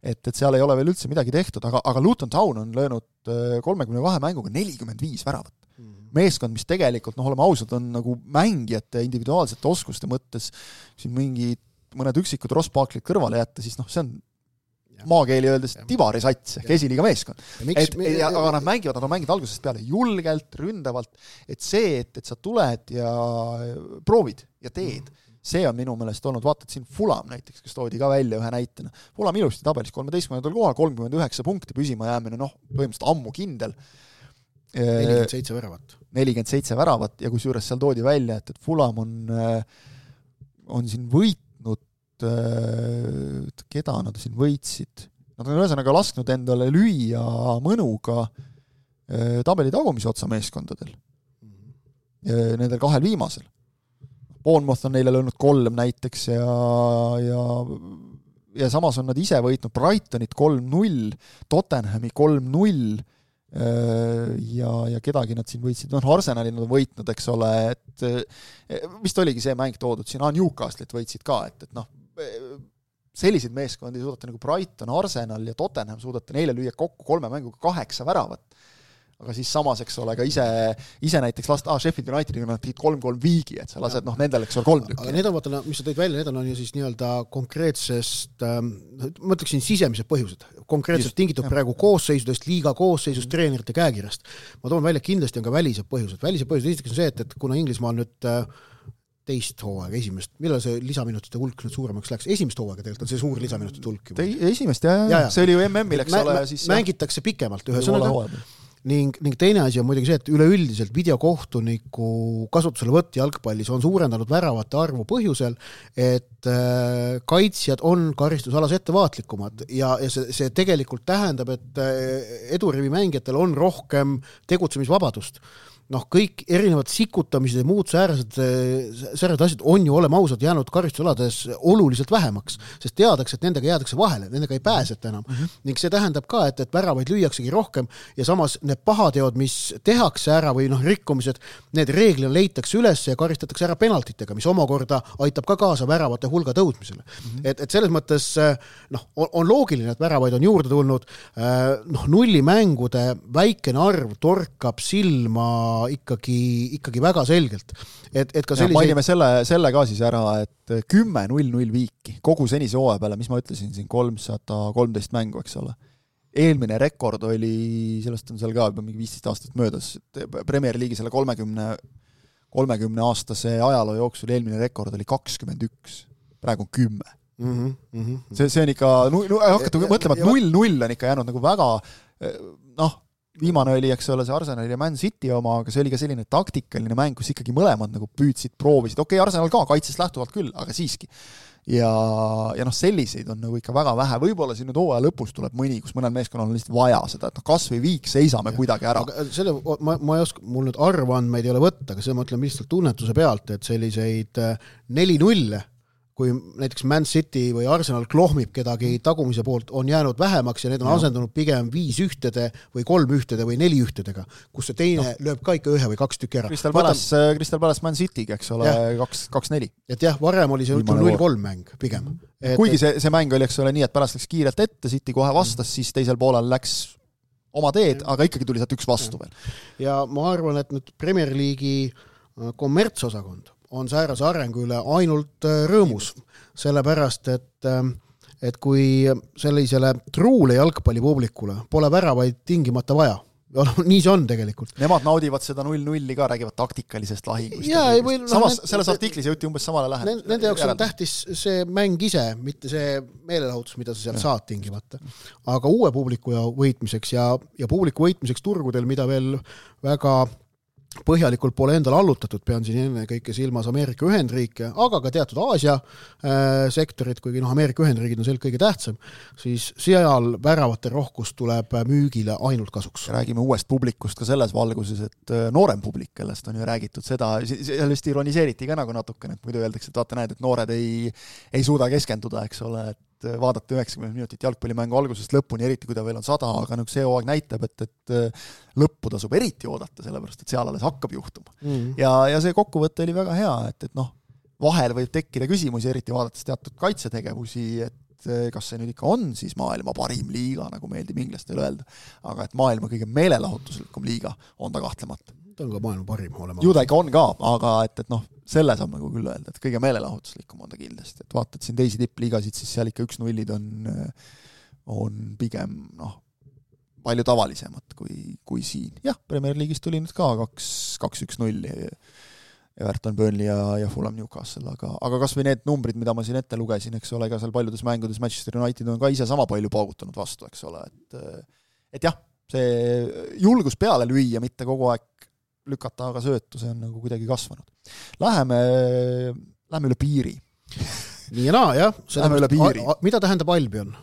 Et, et seal ei ole veel üldse midagi tehtud, aga, aga Luton Town on löönud kolmekümne kahe mänguga nelikümmend viis väravat. meeskond, mis tegelikult, noh, oleme ausad, on nagu mängijate individuaalsete oskuste mõttes siin mingi mõned üksikud Rospaaklid kõrvale jätta, siis noh, see on maakeeli öeldes tivarisats ehk esiliiga meeskond. Et, ja, aga nad mängivad, nad on mänginud algusest peale julgelt, ründavalt, et see, et, et sa tuled ja proovid ja teed, see on minu meelest olnud, vaatad siin Fulham näiteks, kes toodi ka välja ühe näitena. Fulham ilusti tabelis kolmeteistkümnendal kohal, kolmkümmend üheksa punkti püsima jäämine, noh, põhimõtteliselt ammu kindel. nelikümmend seitse väravat. nelikümmend seitse väravat ja kusjuures seal toodi välja, et, et Fulham on, on siin võitnud, keda nad siin võitsid. Nad on ühesõnaga lasknud endale lüüa mõnuga tabeli tagumise otsa meeskondadel. Nendel kahel viimasel. Bournemouth on neile löönud kolm näiteks ja, ja, ja samas on nad ise võitnud Brightonit kolm null, Tottenhami kolm null ja, ja kedagi nad siin võitsid, noh Arsenali nad on võitnud, eks ole, et vist oligi see mäng toodud siin, ah, Newcastle'it võitsid ka, et, et noh, selliseid meeskondi suudate nagu Brighton, Arsenal ja Tottenham suudate neile lüüa kokku kolme mänguga kaheksa väravat. Aga siis samas, eks ole, ka ise, ise näiteks last, ah, Sheffield Unitediga nad tegid kolm kolm viigi, et sa lased, noh, nendel, eks ole, kolm tükki. Aga need on, vaata, mis sa tõid välja, need on ju siis nii-öelda konkreetsest, ma ütleksin sisemised põhjused, konkreetselt tingitud praegu koosseisudest, liiga koosseisust, treenerite käekirjast. Ma toon välja, kindlasti on ka välised põhjused. Välised põhjused esiteks on see, et, et kuna Inglismaal nüüd teist hooaega, esimest, millal see lisaminutite hulk nüüd suuremaks läks? Esimest hooaega tegelikult on see suur lisaminutite hulk. Esimest, jah, ja, ja. See oli ju M M-il, eks ole. Siis, mängitakse pikemalt ühe sõnaga. Ning, ning teine asi on muidugi see, et üleüldiselt videokohtuniku kasutusele võtt jalgpallis on suurendanud väravate arvu põhjusel, et äh, kaitsjad on karistusalas ettevaatlikumad ja, ja see, see tegelikult tähendab, et äh, edurivi mängijatel on rohkem tegutsemisvabadust. Noh, kõik erinevad sikutamised ja muud säärased, säärased asjad on ju olema ausad jäänud karistusalades oluliselt vähemaks, sest teadaks, et nendega jäädakse vahele, nendega ei pääseta enam. Mm-hmm. Ning see tähendab ka, et, et väravaid lüüaksegi rohkem ja samas need pahateod, mis tehakse ära või noh, rikkumised, need reeglina leitakse üles ja karistatakse ära penaltitega, mis omakorda aitab ka kaasa väravate hulga tõusmisele. Mm-hmm. Et, et selles mõttes noh, on, on loogiline, et väravaid on juurde tulnud, noh, nullimängude väikene arv torkab silma ikkagi, ikkagi väga selgelt. Et, et ka selliseid... Mainime selle, selle ka siis ära, et kümme null null viiki kogu senise hooaja peale, mis ma ütlesin siin kolmsada kolmteist mängu, eks ole. Eelmine rekord oli, sellest on seal ka juba mingi viisteist aastat möödas, Premier League'i selle kolmekümne, kolmekümne aastase ajaloo jooksul eelmine rekord oli kakskümmend üks, praegu on kümme. Mm-hmm, mm-hmm. See, see on ikka, nu, nu, hakkatu mõtlema, et null null on ikka jäänud nagu väga, noh, viimane oli, eks ole, see Arsenal ja Man City oma, aga see oli ka selline taktikaline mäng, kus ikkagi mõlemad nagu püüdsid, proovisid. Okei, okay, Arsenal ka kaitsest lähtuvalt küll, aga siiski. Ja, ja noh, selliseid on nagu ikka väga vähe. Võib-olla siin nüüd hooaja lõpus tuleb mõni, kus mõnel meeskonnal on lihtsalt vaja seda, et noh, kas või viik seisame ja kuidagi ära. Aga selle, ma, ma ei oska, mul nüüd arvandmeid ei ole võtta, aga see ma ütlen lihtsalt tunnetuse pealt, et selliseid neli null kui näiteks Man City või Arsenal klohmib kedagi tagumise poolt, on jäänud vähemaks ja need on asendunud pigem viis ühtede või kolm ühtede või neli ühtedega, kus see teine no. lööb ka ikka ühe või kaks tükki ära. Crystal Palace, Crystal Palace Man City'ga, eks ole, kaks, kaks neli. Et jah, varem oli see null kolm mäng pigem. Et, Kuigi see, see mäng oli, eks ole, nii, et Palace läks kiirelt ette, City kohe vastas, mm. siis teisel poolel läks oma teed, aga ikkagi tuli sealt üks vastu veel. Ja ma arvan, et nüüd Premier League'i kommertsosakond on säärase arengu üle ainult rõõmus, sellepärast, et, et kui sellisele truule jalgpallipublikule pole väravaid tingimata vaja, nii see on tegelikult. Nemad naudivad seda null nulli ka, räägivad taktikalisest lahingust. Ja, või, no, Samas, nend, selles artiklis jõuti umbes samale lähedale. Nende jaoks on tähtis see mäng ise, mitte see meelelahutus, mida sa sealt saad tingimata. Aga uue publiku võitmiseks ja, ja publiku võitmiseks turgudel, mida veel väga põhjalikult pole endal allutatud, pean siin enne kõike silmas Ameerika Ühendriike, aga ka teatud Aasia äh, sektorid, kuigi noh, Ameerika Ühendriigid on seal kõige tähtsam, siis seal väravate rohkus tuleb müügile ainult kasuks. Räägime uuest publikust ka selles valguses, et noorem publik, kellest on ju räägitud seda, sellest ironiseeriti ka nagu natukene, et muidu öeldakse, et vaata näed, et noored ei, ei suuda keskenduda, eks ole, et vaadata üheksakümmend minutit jalgpallimängu algusest lõpuni, eriti kui ta veel on sada, aga nagu see hooaeg näitab, et, et lõppu tasub eriti oodata, sellepärast, et seal alles hakkab juhtuma. Mm. Ja, ja see kokkuvõte oli väga hea, et, et noh, vahel võib tekkida küsimusi, eriti vaadates teatud kaitsetegevusi, et kas see nüüd ikka on siis maailma parim liiga, nagu meeldib inglastel öelda, aga et maailma kõige meelelahutuslikum liiga on ta kahtlemata. ta on ka maailma parim olema. ju ta ikka on ka, aga et, et noh, selle saab nagu küll öelda, et kõige meelelahutuslikum on ta kindlasti, et vaatad siin teisi tippliigasid, siis seal ikka üks nullid on, on pigem noh, palju tavalisemad kui, kui siin. Jah, Premier League'is tuli nüüd ka kaks, kaks üks null Everton, Burnley ja, ja Fulham Newcastle, aga, aga kas või need numbrid, mida ma siin ette lugesin, eks ole, ka seal paljudes mängudes Manchester United on ka ise sama palju paugutanud vastu, eks ole, et, et jah, see julgus peale lüüa, mitte kogu aeg lükata aga söötu, see on nagu kuidagi kasvanud. Läheme, läheme üle piiri. Nii ja naa, jah. Läheme üle piiri. A, a, mida tähendab Albion?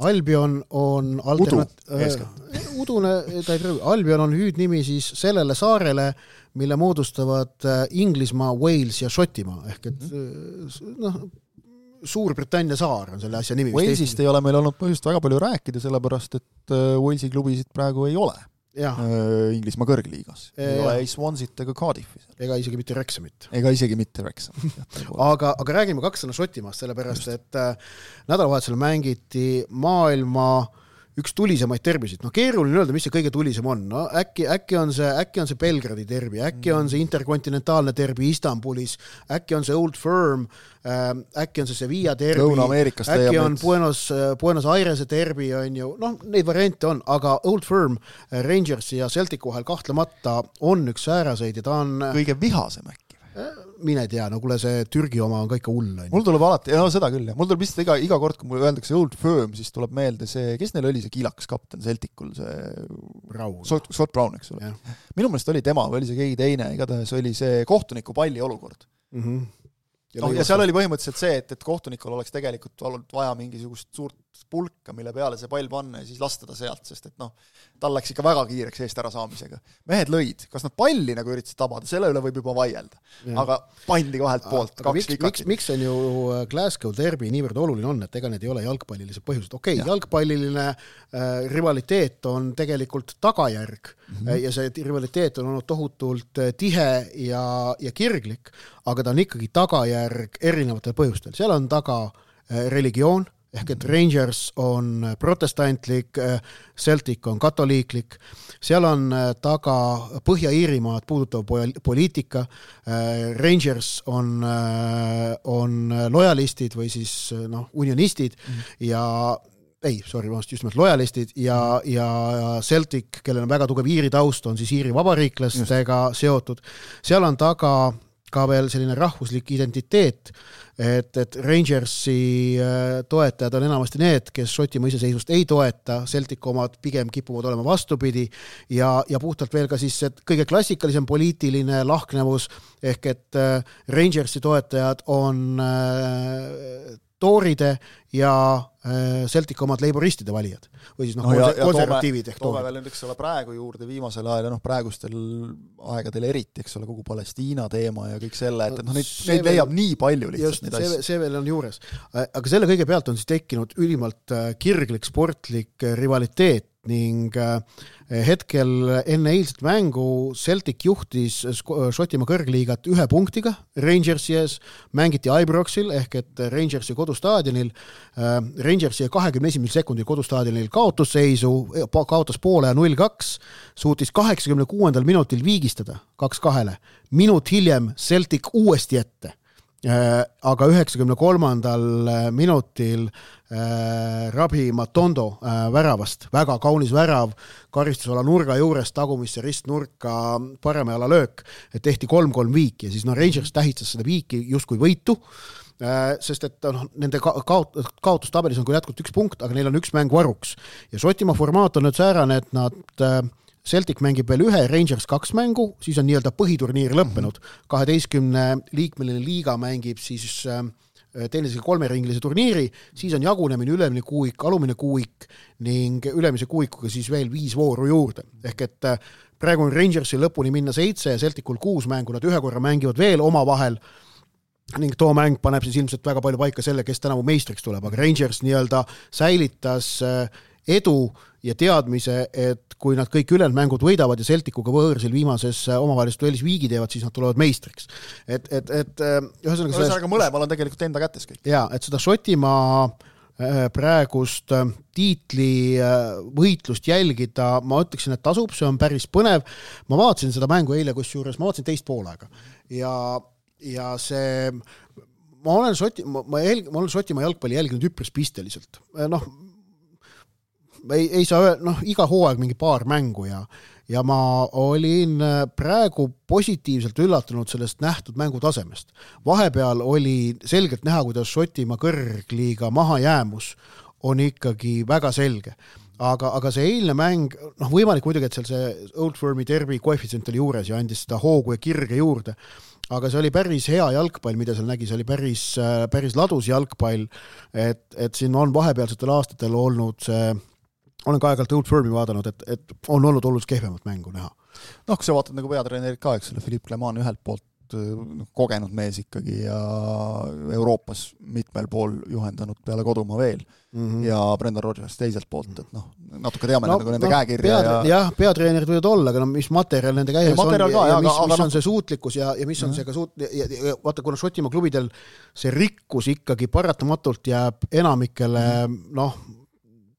Albion on alternat... Udu, äh, udune, ta ei prõu. Albion on hüüdnimi siis sellele saarele, mille moodustavad Inglismaa, Wales ja Šotimaa. Ehk et noh, Suurbritannia saar on selle asja nimi. Walesist ei ole meil olnud põhjust väga palju rääkida, sellepärast et Walesi klubisid praegu ei ole. Ja. Inglismaa kõrgliigas. Ei ja. ole ei Swansit ega Cardiffi. Ega isegi mitte Wrexhamit. Ega isegi mitte Wrexhamit. aga, aga räägime kaks sõna Šotimaast, sellepärast, Just. et äh, nädalavahetusel mängiti maailma üks tulisemaid terbisid. No keeruline öelda, mis see kõige tulisem on. No äkki, äkki on see, äkki on see Belgradi terbi, äkki on see interkontinentaalne terbi Istanbulis, äkki on see Old Firm, äkki on see Sevilla terbi, äkki on Buenos, Buenos Airese terbi, on ju, noh, neid variante on, aga Old Firm, Rangersi ja Celticu vahel kahtlemata on üks sääraseid ja ta on kõige vihasem äkki. Mine tea, no kuule see Türgi oma on ka ikka hull. Mul tuleb alati, no seda küll, ja mul tuleb lihtsalt iga, iga kord, kui mul öeldakse Old Firm, siis tuleb meelde see, kes neil oli see kiilakas kapten Celticul, see Brown. Scott Brown, eks ole. Minu meelest oli tema, või oli see keegi teine, igatahes oli see kohtuniku palli olukord. Mhm. Ja, no, ja seal oli põhimõtteliselt see, et, et kohtunikul oleks tegelikult olnud vaja mingisugust suurt pulka, mille peale see pall panna ja siis lasta ta sealt, sest et noh, tal läks ikka väga kiireks eest ära saamisega. Mehed lõid, kas nad palli nagu üritasid tabada, selle üle võib juba vaielda. Ja. Aga pandi kahelt poolt, aga kaks miks, vikakit. Miks, miks on ju Glasgow derby niivõrd oluline on, et ega need ei ole jalgpallilised põhjused. Okei, okay, jalgpalliline äh, rivaliteet on tegelikult tagajärg mm-hmm. ja see rivaliteet on olnud tohutult tihe ja, ja kirglik, aga ta on ikkagi tagajärg erinevatel põhjustel. Seal on taga äh, religioon, ehk et Rangers on protestantlik, Celtic on katoliiklik, seal on taga Põhja-Iirimaad puudutav poliitika, Rangers on, on lojalistid või siis noh, unionistid mm. ja ei, sorry, just nimelt lojalistid ja, ja Celtic, kellel on väga tugev Iiri taust, on siis Iiri vabariiklastega just. Seotud. Seal on taga ka veel selline rahvuslik identiteet, et, et Rangersi toetajad on enamasti need, kes Šotimaa iseseisvust ei toeta, Celtic omad pigem kipuvad olema vastupidi ja, ja puhtalt veel ka siis kõige klassikalisem poliitiline lahknevus, ehk et Rangersi toetajad on tooride ja Celtic omad leiboristide valijad või siis noh, no ja, konservatiivid ja toome, toome veel nüüd, eks ole, praegu juurde viimasel ajal ja noh, praegustel aegadel eriti, eks ole, kogu Palestiina teema ja kõik selle, et, et noh, neid, neid leiab veel, nii palju lihtsalt just, neid asju. See, see veel on juures. Aga selle kõige pealt on siis tekkinud ülimalt kirglik sportlik rivaliteet ning hetkel enne eilset mängu Celtic juhtis Šotimaa kõrgliigat ühe punktiga Rangersi ees, mängiti Ibroxil ehk et Rangersi kodustaadionil, Rangersi kahekümne esimesel sekundil kodustaadionil kaotusseisu, kaotas poole ja null kaks, suutis kaheksakümne kuuendal minutil viigistada kaks kahele, minut hiljem Celtic uuesti ette. Aga üheksakümne kolmandal minutil äh, Rabi Matondo äh, väravast, väga kaunis värav, karistusala nurga juures tagumisse ristnurka parema jala löök, et tehti kolm kolm viiki ja siis no Rangers tähistas seda viiki justkui võitu, äh, sest et no, nende ka- kaot- kaotustabelis on küll jätkult üks punkt, aga neil on üks mäng varuks ja Šotimaa formaat on nüüd säärane, et nad äh, Celtic mängib veel ühe, Rangers kaks mängu, siis on nii-öelda põhiturniir lõppenud. kaheteistkümne liikmeline liiga mängib siis teineteisega kolmeringilise turniiri, siis on jagunemine ülemine kuuik, alumine kuuik ning ülemise kuuikuga siis veel viis vooru juurde. Ehk et praegu on Rangersi lõpuni minna seitse ja Celticul kuus mängu, nad ühe korra mängivad veel oma vahel ning too mäng paneb siis ilmselt väga palju paika selle, kes tänavu meistriks tuleb, aga Rangers nii-öelda säilitas edu ja teadmise, et kui nad kõik ülejäänud mängud võidavad ja Celticuga võõrsil viimases omavahelist duellis viigi teevad, siis nad tulevad meistriks. Et, et, et ühesõnaga ühesõnaga mõlemal on tegelikult enda kätes kõik. Jaa, et seda Šotimaa praegust tiitli võitlust jälgida, ma ütleksin, et tasub, see on päris põnev. Ma vaatasin seda mängu eile, kus juures, ma vaatasin teist poolaega ja, ja see, ma olen Šoti, ma, ma, jälg, ma olen Šotimaa jalgpalli jälginud üpris pisteliselt. Noh, ei, ei saa öelda, noh, iga hooaeg mingi paar mängu ja ja ma olin praegu positiivselt üllatunud sellest nähtud mängutasemest. Vahepeal oli selgelt näha, kuidas Šotimaa kõrgliiga mahajäämus on ikkagi väga selge. Aga, aga see eilne mäng, noh võimalik muidugi, et seal see Old Firmi derby koefitsient oli juures ja andis seda hoogu ja kirge juurde, aga see oli päris hea jalgpall, mida seal nägi, see oli päris, päris ladus jalgpall, et, et siin on vahepealsetel aastatel olnud see olen ka aegalt Old Firmi vaadanud, et, et on olnud oluliselt kehvemat mängu näha. Noh, kui sa vaatad nagu peatreenerid ka, eks selle Philippe Clement ühelt poolt kogenud mees ikkagi ja Euroopas mitmel pool juhendanud peale kodumaa veel mm -hmm. ja Brendan Rodgers teiselt poolt, et noh, natuke teame no, nagu nende no, käekirja pead, ja... jah, peatreenerid võivad olla, aga no mis materjal nende käes on ja, ka, ja, ja mis, aga, mis aga, on see suutlikkus ja, ja mis on mm -hmm. see ka suut... Ja, ja, vaata, kuna Šotimaa klubidel see rikkus ikkagi paratamatult jääb enamikele, mm -hmm. noh,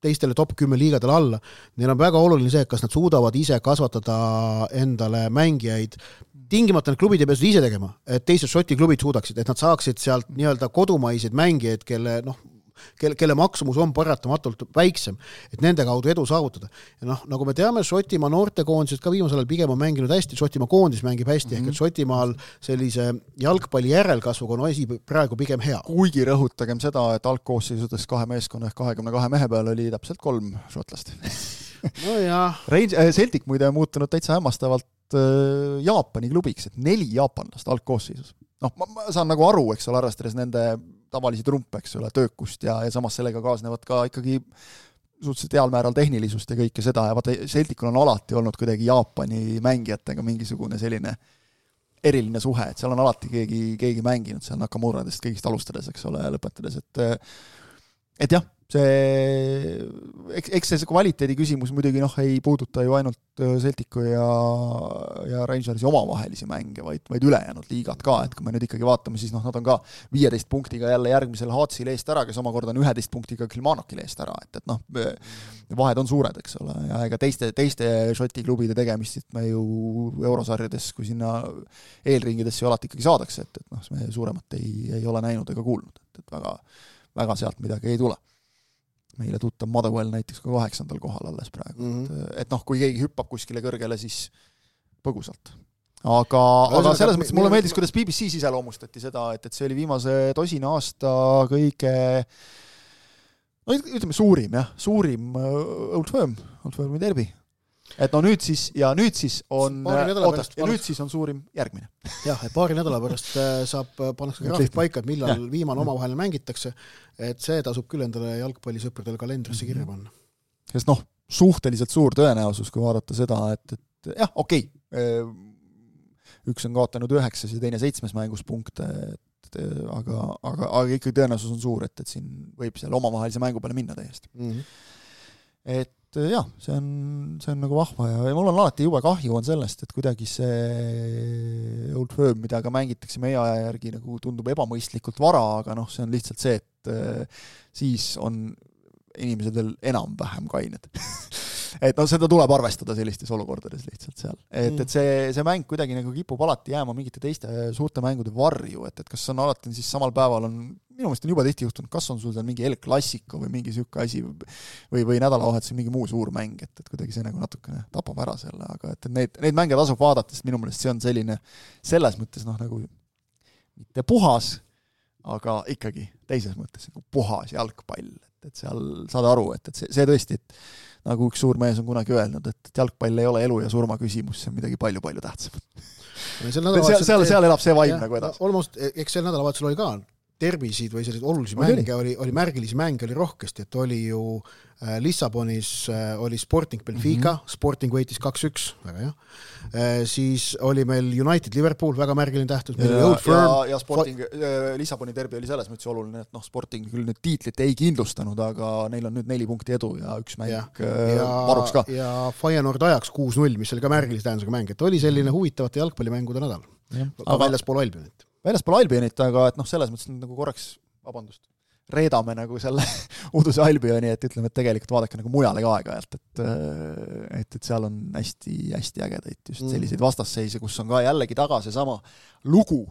teistele top kümme liigadele alla. Neil on väga oluline see, kas nad suudavad ise kasvatada endale mängijaid. Tingimata need klubid ei pea seda ise tegema, et teised Šoti klubid suudaksid, et nad saaksid sealt nii-öelda kodumaiseid mängijaid, kelle, noh, kelle, kelle maksumus on paratamatult väiksem, et nende kaudu edu saavutada. Ja noh, nagu me teame, Šotimaa noortekoondised ka viimasel ajal pigem on mänginud hästi, Šotimaa koondis mängib hästi, mm-hmm. ehk et Šotimaal sellise jalgpalli järelkasvuga on asi praegu pigem hea. Kuigi rõhutagem seda, et algkoosseisudes kahe meeskonna ehk kahekümne kahe mehe peal oli täpselt kolm šotlast. No jah. Celtic muide on muutunud täitsa hämmastavalt Jaapani klubiks, et neli jaapanlast algkoosseisus. Noh, ma, ma saan nagu aru, eks ole, arvestades nende tavalisi trumpe, eks ole, töökust ja, ja samas sellega kaasnevad ka ikkagi suhteliselt heal määral tehnilisust ja kõike seda ja vaata, Celticul on alati olnud kuidagi Jaapani mängijatega mingisugune selline eriline suhe, et seal on alati keegi, keegi mänginud, seal Nakamuradest kõigist alustades, eks ole, lõpetades, et et jah, see, eks, eks see kvaliteedi küsimus muidugi noh, ei puuduta ju ainult Celticu ja, ja Rangersi omavahelisi mänge, vaid, vaid ülejäänud liigad ka, et kui me nüüd ikkagi vaatame, siis noh, nad on ka viieteist punktiga jälle järgmisel Haatsil eest ära, kes omakorda on üheteist punktiga Kilmarnockil eest ära, et, et noh, vahed on suured, eks ole, ja ega teiste, teiste Šoti klubide tegemist me ju eurosarjades, kui sinna eelringidesse ju alati ikkagi saadakse, et, et noh, me suuremat ei, ei ole näinud ega kuulnud, et, et väga, väga sealt midagi ei tule. Meile tuttav Motherwell näiteks ka kaheksandal kohal alles praegu. Mm -hmm. et, et noh, kui keegi hüppab kuskile kõrgele, siis põgusalt. Aga, aga selles mõttes mulle meeldis, kuidas B B C iseloomustati seda, et, et see oli viimase tosina aasta kõige, no ütleme suurim, jah, suurim Old Firm, Old Firmi derbi. Et no nüüd siis, ja nüüd siis on, oota, ja nüüd siis on suurim järgmine. Jah, et paari nädala pärast saab pannakse graafik paika, et millal ja. viimane omavahel mängitakse, et see tasub küll endale jalgpallisõpradele kalendrisse kirja panna. Sest noh, suhteliselt suur tõenäosus, kui vaadata seda, et, et jah, okei, okay, üks on kaotanud üheksas ja teine seitsmes mängus punkte, et, aga, aga, aga ikkagi tõenäosus on suur, et, et siin võib seal omavahelise mängu peale minna täiesti. Mm-hmm. Et jah, see on, see on nagu vahva ja, ja mul on alati jube kahju on sellest, et kuidagi see Old Firm, mida ka mängitakse meie aja järgi, nagu tundub ebamõistlikult vara, aga noh, see on lihtsalt see, et äh, siis on inimesed veel enam-vähem kained. et noh, seda tuleb arvestada sellistes olukordades lihtsalt seal. Et, et see, see mäng kuidagi nagu kipub alati jääma mingite teiste suurte mängude varju, et, et kas on alati siis samal päeval on minu meelest on juba tihti juhtunud, kas on sul seal mingi El Clasico või mingi sükke asi või, või nädalavahetusel mingi muu suur mäng, et, et kuidagi see nagu natukene tapab ära selle, aga et need, need mänge tasub vaadata, sest minu meelest see on selline selles mõttes noh, nagu mitte puhas, aga ikkagi teises mõttes nagu puhas jalgpall, et, et seal saad aru, et, et see, see tõesti, et nagu üks suur mees on kunagi öelnud, et jalgpall ei ole elu ja surma küsimus, see on midagi palju-palju tähtsam. seal, seal, seal elab see vaim nagu edasi. Almost, eks sel nädalavahetusel oli ka terbisid või selliseid olulisi mänge, oli, oli märgilisi mänge, oli rohkesti, et oli ju äh, Lissabonis äh, oli Sporting Benfica, mm-hmm. Sporting võitis kaks üks, väga hea. Äh, siis oli meil United Liverpool, väga märgiline tähtus. Ja, ja, ja Sporting, äh, Lissaboni derbi oli selles mõttes oluline, et noh, Sporting küll nüüd tiitlit ei kindlustanud, aga neil on nüüd neli punkti edu ja üks mäng ja, äh, varuks ka. Ja Feyenoord ajaks kuus null, mis oli ka märgilise tähendusega mäng, et oli selline huvitavate jalgpallimängude nädal. Ja, ka aga väljaspool Albionit. väljaspool Albionit, aga et noh, selles mõttes nagu korraks, vabandust, reedame nagu selle Uduse Albioni, et ütleme, et tegelikult vaadake nagu mujale ka aega-ajalt, et, et, et seal on hästi, hästi ägedaid just selliseid vastasseise, kus on ka jällegi taga seesama lugu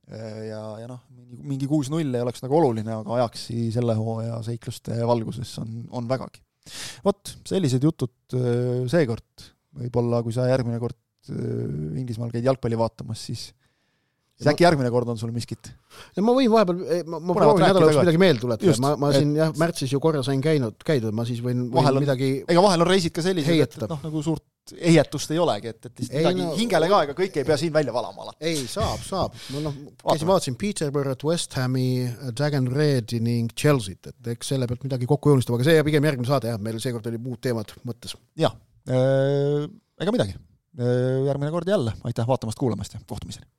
ja, ja noh, mingi kuus null ei oleks nagu oluline, aga ajaksi selle hooaja seikluste valguses on, on vägagi. Vot, sellised jutud seekord, võib-olla kui sa järgmine kord Inglismaal käid jalgpalli vaatamas, siis siis äkki järgmine kord on sul miskit? Ja ma võin vahepeal, ma, ma proovin nädala jooksul midagi meelde tuletada. Ma, ma siin jah, märtsis ju korra sain käinud, käidud, ma siis võin, võin on, midagi ega vahel on reisid ka sellised, et, et noh, nagu suurt heietust ei olegi, et, et ei, midagi no, hingele ka, ega kõik ei pea siin välja valama alati. Ei, saab, saab. No, no, käisin vaatasin Peterborough, West Hami, Dagen Redi ning Chelsea't, et eks selle pealt midagi kokku joonistab, aga see pigem järgmine saade, jah, meil seekord oli muud teemad mõttes. Jah, ega midagi. Järgmine kord jälle. Aitäh vaatamast, kuulamast ja kohtumiseni.